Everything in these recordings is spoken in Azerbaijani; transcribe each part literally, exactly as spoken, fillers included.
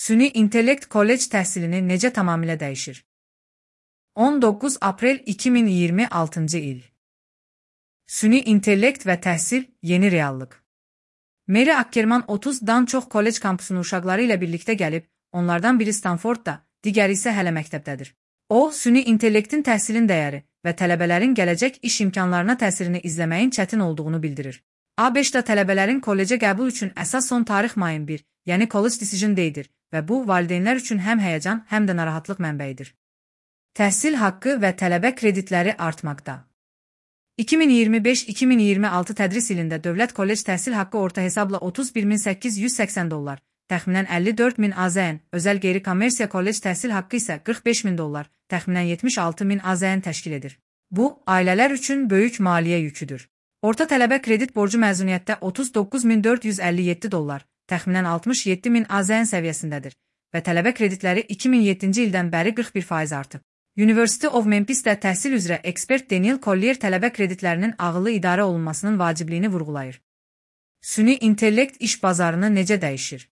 Süni intellekt kollec təhsilini necə tamamilə dəyişir? on doqquz aprel iki min iyirmi altıncı il. Süni intellekt və təhsil yeni reallıq. Mary Ackerman otuzdan çox kollec kampusuna uşaqları ilə birlikdə gəlib, onlardan biri Stanfordda, digəri isə hələ məktəbdədir. O, süni intellektin təhsilin dəyəri və tələbələrin gələcək iş imkanlarına təsirini izləməyin çətin olduğunu bildirir. ABŞ-da tələbələrin kollecə qəbul üçün əsas son tarix mayın bir, yəni College Decision Day-dir və bu, valideynlər üçün həm həyəcan, həm də narahatlıq mənbəyidir. Təhsil haqqı və tələbə kreditləri artmaqda. iki min iyirmi beş iki min iyirmi altı tədris ilində dövlət kollec təhsil haqqı orta hesabla otuz bir min səkkiz yüz səksən dollar, təxminən əlli dörd min AZN, özəl qeyri-kommersiya kollec təhsil haqqı isə qırx beş min dollar, təxminən yetmiş altı min AZN təşkil edir. Bu, ailələr üçün böyük maliyyə yüküdür. Orta tələbə kredit borcu məzuniyyətdə otuz doqquz min dörd yüz əlli yeddi dollar, təxminən altmış yeddi min AZN səviyyəsindədir və tələbə kreditləri iki min yeddinci ildən bəri qırx bir faiz artıb. University of Memphisdə təhsil üzrə ekspert Daniel Collier tələbə kreditlərinin ağıllı idarə olunmasının vacibliyini vurğulayır. Süni intellekt iş bazarını necə dəyişir?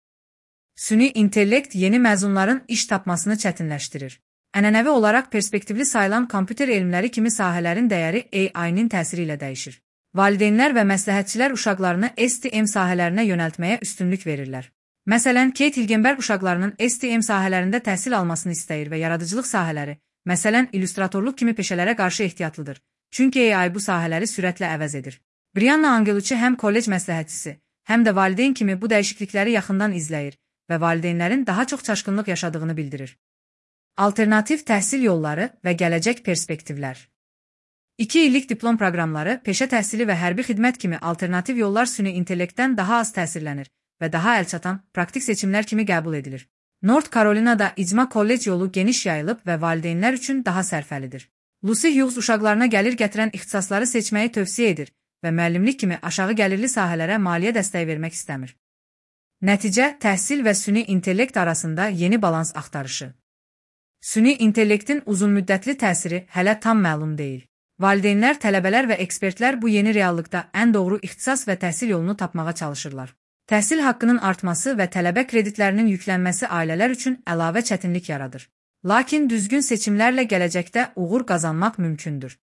Süni intellekt yeni məzunların iş tapmasını çətinləşdirir. Ənənəvi olaraq perspektivli sayılan kompüter elmləri kimi sahələrin dəyəri A I-nin təsiri ilə dəyişir. Valideynlər və məsləhətçilər uşaqlarını S T M sahələrinə yönəltməyə üstünlük verirlər. Məsələn, Kate Hilgenberg uşaqlarının S T M sahələrində təhsil almasını istəyir və yaradıcılıq sahələri, məsələn, illüstratorluq kimi peşələrə qarşı ehtiyatlıdır. Çünki A I bu sahələri sürətlə əvəz edir. Brianna Angelucci həm kollec məsləhətçisi, həm də valideyn kimi bu dəyişiklikləri yaxından izləyir və valideynlərin daha çox çaşqınlıq yaşadığını bildirir. Alternativ təhsil yolları və gələcək perspektivlər. İki illik diplom proqramları, peşə təhsili və hərbi xidmət kimi alternativ yollar süni intellektdən daha az təsirlənir və daha əlçatan, praktik seçimlər kimi qəbul edilir. North Carolinada icma kollec yolu geniş yayılıb və valideynlər üçün daha sərfəlidir. Lucy Hughes uşaqlarına gəlir gətirən ixtisasları seçməyi tövsiyə edir və müəllimlik kimi aşağı gəlirli sahələrə maliyyə dəstəyi vermək istəmir. Nəticə, təhsil və süni intellekt arasında yeni balans axtarışı. Süni intellektin uzunmüddətli təsiri hələ tam məlum deyil. Valideynlər, tələbələr və ekspertlər bu yeni reallıqda ən doğru ixtisas və təhsil yolunu tapmağa çalışırlar. Təhsil haqqının artması və tələbə kreditlərinin yüklənməsi ailələr üçün əlavə çətinlik yaradır. Lakin düzgün seçimlərlə gələcəkdə uğur qazanmaq mümkündür.